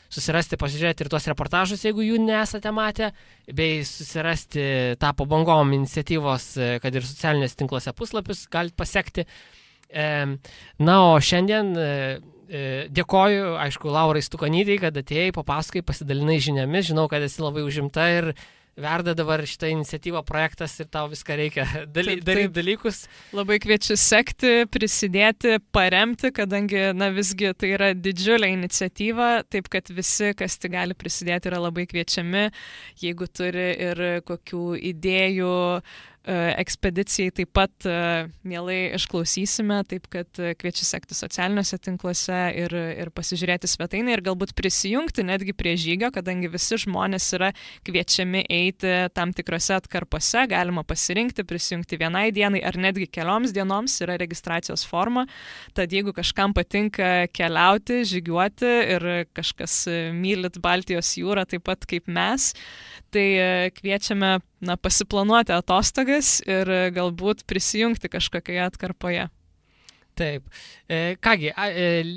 susirasti, pasižiūrėti ir tuos reportažus, jeigu jų nesate matę, bei susirasti tą Po bangom iniciatyvos, kad ir socialinės tinkluose puslapius galite pasekti. Na, o šiandien dėkoju, aišku, Laurai Stukonytei, kad atėjai, papasakai, pasidalinai žiniomis, žinau, kad esi labai užimta ir verda dabar šitą iniciatyvą projektas ir tau viską reikia daryti dalykus. Labai kviečiu sekti, prisidėti, paremti, kadangi, visgi tai yra didžiulė iniciatyva, taip kad visi, kas tik gali prisidėti, yra labai kviečiami, jeigu turi ir kokių idėjų ekspedicijai, taip pat mielai išklausysime, taip kad kviečiu sekti socialiniuose tinkluose ir pasižiūrėti svetainę ir galbūt prisijungti netgi prie žygio, kadangi visi žmonės yra kviečiami eiti tam tikrose atkarpose, galima pasirinkti, prisijungti vienai dienai ar netgi kelioms dienoms, yra registracijos forma, tad jeigu kažkam patinka keliauti, žygiuoti ir kažkas mylit Baltijos jūrą taip pat kaip mes, tai kviečiame pasiplanuoti atostogas ir galbūt prisijungti kažkokioje atkarpoje. Taip. Kągi,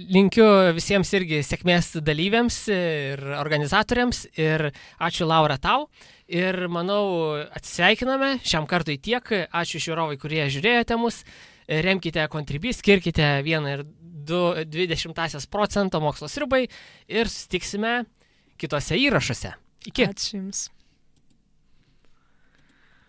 linkiu visiems irgi sėkmės dalyviams ir organizatoriams ir ačiū Laura tau. Ir manau, atsisveikiname šiam kartui tiek. Ačiū žiūrovai, kurie žiūrėjote mus. Remkite Contribui, skirkite 1,2% Mokslo sriubai ir susitiksime kitose įrašuose. Iki. Ačiū Jums.